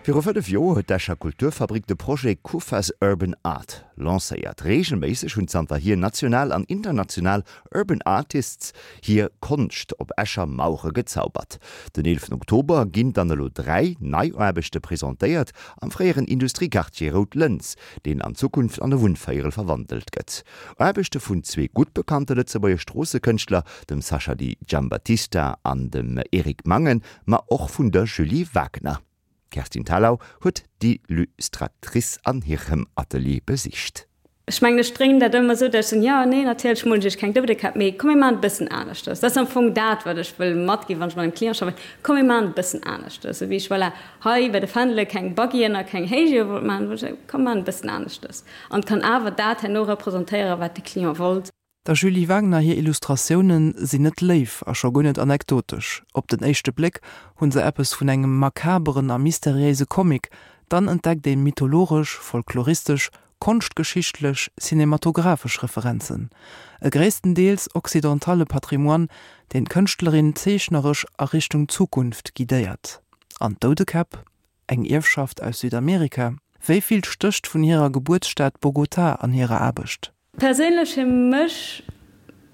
Viru 5 Joer huet d'Escher Kulturfabrik de Projet Kufa's Urban Art lancéiert. Reegelméisseg hunn zanterhier national an international Urban Artists hir Konscht op Escher Mauere gezaubert. Den 11 Oktober ginn dann elo 3 nei Aarbechte presentéiert am fréieren Industriequartier Rout Lëns, deen an Zukunft an e Wunnvéierel verwandelt gëtt. Aarbechte vun zwee gutt bekannte Lëtzebuerger Stroossekënschtler, dem Sascha Di Giambattista an dem Eric Mangen, ma och vun der Julie Wagner. D'Kerstin Thalau huet d'Illustratrice an hirem Atelier besicht. Ech mengen, ech dréinen dat ëmmer esou, datt ech soen, jo, nee, natierlech molen ech iech keng Doudekäpp, mee komm mir maachen et e bëssen aneschters. Dat ass am Fong dat, wat ech wëll matginn, wann ech mat engem Client schaffen, komm mir maachen et e bëssen aneschters. Esou wéi ech, voilà, hei bei de Fändele keng Buggyen a keng Héichiewe wollt maachen, wollt ech soen, komm mir maachen et e bëssen aneschters. An et kann awer dat herno representéieren, wat de Client wollt. Der Julie Wagner hir Illustratioune sinn net léif a scho guer net anekdotesch. Op den éischte Bléck hu se eppes vun engem makaberen a mysteriéise Comic, dann entdeckt ee mythologesch, folkloristesch, konschtgeschichtlech, cinematographesch Referenzen. E gréisstendeels occidentale Patrimoine, deen d'Kënschtlerin zeechneresch a Richtung Zukunft guidéiert. An d'Doudekäpp? Eng Ierfschaft aus Südamerika? Wéi vill stécht vun hirer Gebuertsstad Bogotá an hirer Aarbecht? Perséinlech fir mech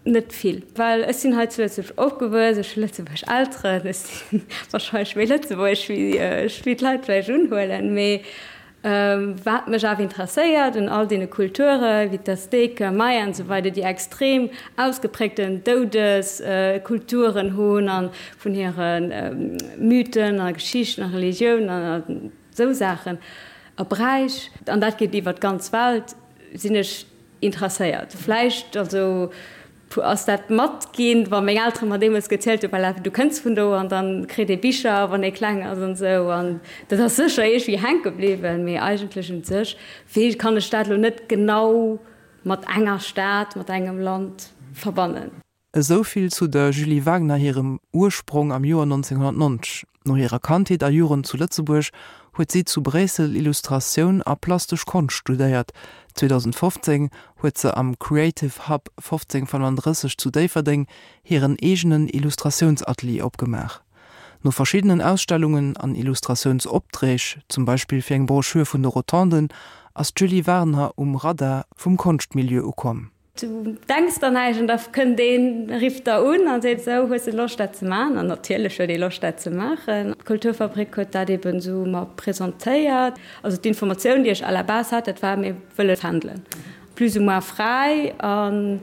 net vill, well ech sinn hei zu Lëtzebuerg opgewuess, ech hu lëtzebuergesch Elteren, ech si warscheinlech méi lëtzebuergesch wéi d'Leit vläicht unhuelen. Mee wat mech awer interesséiert un all deene Kulture wéi d'Azteken, Maya an esou weider, déi extrem ausgepräägten Doudeskulturen hunn a vun hire Mythen a Geschichten a Religiounen an esou Saachen a Bräich, an dat geet iwwer d'ganz Welt, sinn ech interesséiert. Vläicht also ass dat matginn, wa meng Eltere mer deemools gezielt hunn, voilà, du kënns vun do an dann kritt ee Bicher, wann ee kleng ass an esou. An dat ass sécher iergendwéi hänke bliwwen, mee eigentlech un sech wee kann ech dat elo net genau mat enger Stad, mat engem Land verbannen. Esou vill zu der Julie Wagner hirem Ursprong am Joer 1990. No hirer Kandheet a Jugend zu Lëtzebuerg huet si zu Bréissel Illustratioun a plastesch Konscht studéiert. 2015 huet se am Creative Hub 1535 zu Déifferdeng hiren eegenen Illustratiounsatelier opgemaach. No verschiddenen Ausstellungen an Illustratiounsopträg, zum Beispill fir eng Broschür vun de Rotonden, ass d'Julie Wagner um Radar vum Konschtmilieu ukomm. Du denks der näischt an da kënnt een, rifft der un a seet, Sou, hues de Loscht dat ze maachen? An natierlech huet ee Loscht dat ze maachen. D'Kulturfabrik huet dat eben esou mer presentéiert. Also d'Informatioun, déi ech à la base hat, dat war, mir wëlle fändelen, plus ou moins fräi an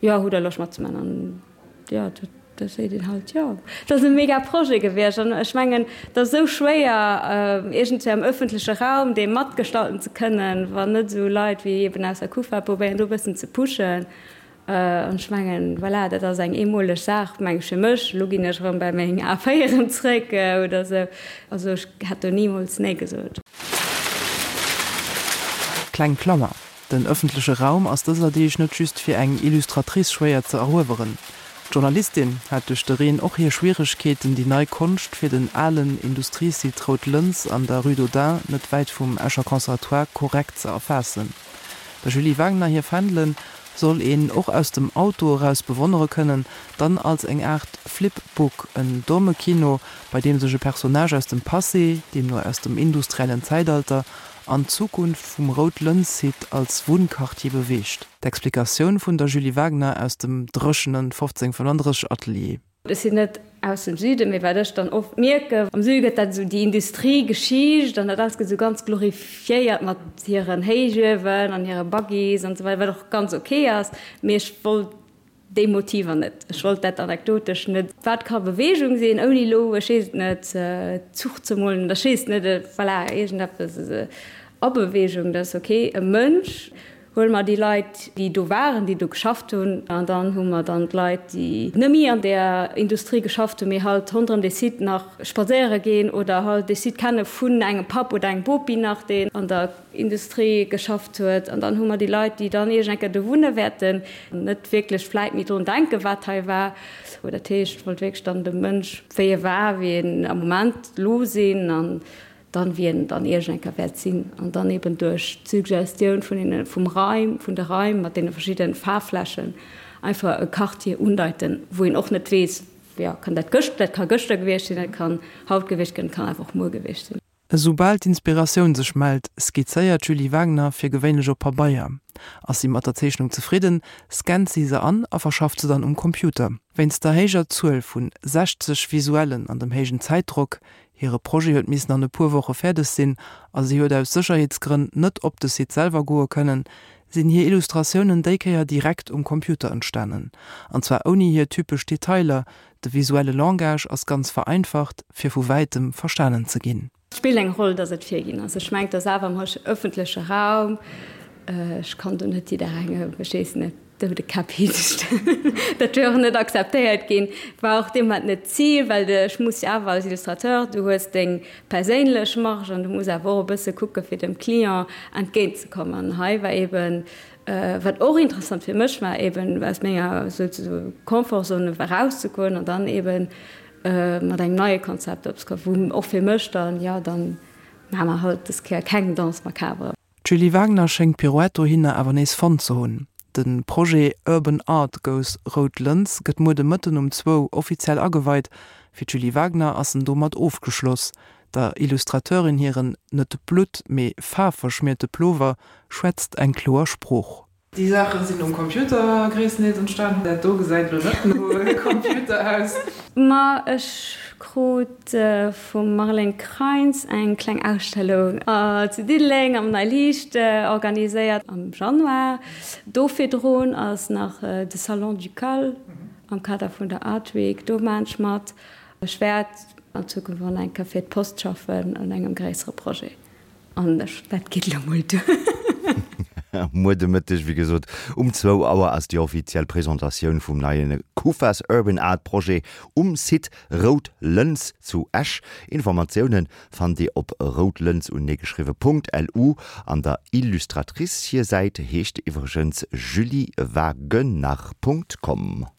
jo, hutt der Loscht matzemaachen? An Jo, da seet een halt jo. Et ass e mega Projet gewiescht an ech mengen, et ass esou schwéier, iergendwéi am ëffentleche Raum dee matgestalten ze kënnen, wann net esou Leit wéi eben aus der Kufa probéieren, do e bëssen ze pushen. An ech mengen, voilà, dat ass eng eemoleg Saach, meng ech fir mech. Elo ginn ech erëm bei meng A4en zréck oder esou. Also ech hätt do nimools nee gesot. Kleng Klammer, Den ëffentleche Raum ass dëser Deeg net just fir eng Illustratrice schwéier ze erueweren. D'Journalistin hat duerch de Reen och hir Schwieregkeeten, déi nei Konscht fir den alen Industriesite Rout Lëns an der Rue d'Audun, net wäit vum Escher Conservatoire, korrekt ze erfaassen. Der Julie Wagner hir Fändelen soll een och aus dem Auto eraus bewonnere kënnen, dann als eng Aart Flip-Book, en domme Kino, bei deem sech e Personnage aus dem Passé, deemno aus dem industriellen Zäitalter, an d'Zukunft vum Rout-Lëns-Site als Wunnquartier beweegt. D'Explikatioun vun der Julie Wagner aus dem dréchenen 1535 Atelier. Ech sinn net aus dem Süden, mee wat ech dann oft mierken, am Süde gëtt dat esou déi Industriegeschicht an dat alles gëtt esou ganz glorifiéiert mat hiren Héichuewen an hire Buggies an esou weider, wat och ganz ok ass, mee ech wollt Déi Motiver net. Ech wollt dat anekdotesch net. Wat ka Beweegung sinn, ouni elo, ech weess et net, Zuch ze molen oder ech weess et net, voilà, iergendeppes a Beweegung, dat ass ok. E Mënsch, huele mer déi Leit, déi do waren, déi do geschafft hunn, an dann hu mer dann d'Leit, déi net méi an där Industrie geschafft hunn, mee halt ronderëm dee Site nach spadséiere ginn oder halt dee Site kenne vun engem Papp oder engem Bopi nach, deen an der Industrie geschafft huet. An dann hu mer déi Leit, déi dann iergend eng Kéier do wunne wäerten, net wierklech vläit méi drun denken, wat hei war. Dat heescht, ech wollt wierklech dann de Mënsch, wéi e war, wéi en am Moment elo sinn an dann, wéi en dann iergend eng Kéier wäert sinn. An dann eben duerch d'Suggestioun vun deene, vum Raim, vun de Raim mat deene verschiddenen Faarfflächen einfach e Quartier undeiten, wou een och net weess, jo, kann dat gëscht, dat ka gëschter gewiescht sinn, dat kann haut gewiescht ginn, dat kann awer och muer gewiescht sinn. Esoubal d'Inspiratioun sech mellt, skizzéiert d'Julie Wagner fir gewéinlech op Pabeier. Ass si mat der Zeechnung zefridden, scannt si se an a verschafft se dann um Computer. Wéinst der héijer Zuel vun 60 Visuellen an dem héijen Zäitdrock, hire Projet huet missen an e puer Woche fäerdeg sinn a si huet aus Sécherheetsgrënn net op de Site selwer goe kënnen, sinn hir Illustratiounen déi Kéier direkt um Computer entstanen. An zwar ouni hir typesch Detailer, De visuelle Langage ass ganz vereinfacht, fir vu wäitem verstanen ze ginn. Et spillt eng Roll, dass et virginn ass. Ech mengt, dass awer am ëffentleche Raum, ech kann do net jidderengem, ech weess net, doude Käpp hinstellen. Dat wier och net akzeptéiert ginn. War och dee Moment net d'Zil, well de, ech muss jo awer als Illustrateur, du hues deng perséinlech Marge an du muss awer och e bësse kucke fir dem Client entgéintzekommen. An hei war eeben Wat och interessant fir mech war, eben aus menger souzesoe Confort-Zone erauszegoen an dann eben mat engem neie Konzept opzekommen, wou och fir mech dann, jo, dann maache mer halt dës Kéier keng Danse macabre. D'Julie Wagner schéngt d'Pirouette dohinner awer nees fonnt ze hunn. De Projet Urban Art Goes Rout Lëns gëtt muer de Mëtten um zwou offiziell ageweit. Fir d'Julie Wagner ass en domat ofgeschloss. Der Illustrateurin hiren net blutt-, mee faarfverschmierte Plover schwätzt eng kloer Sprooch. Déi Saache sinn um Computer gréisstendeels entstan. Dat do gesäit elo net no Computer aus. Ma ech krut vum Marlène Kreins eng kleng Ausstellung zu Diddeleng am Nei Liicht organiséiert am Januar. Do virdrun ass nach de Salon Ducal am Kader vun der Art Week, do maan ech mat. Ech wäert an Zukunft och nach eng Kéier fir d'Post schaffen un engem gréissere Projet an ech, dat geet elo mol duer. Muer de Mëtteg, wéi gesot, um zwou Auer ass déi offiziell Presentatioun vum neie Kufa's Urban Art Projet um Site Rout Lëns zu Esch. Informatioune fannt Dir op routlëns uneegeschriwwe Punkt lu. An der Illustratrice hir Säit heescht iwwregens juliewagenar Punkt com.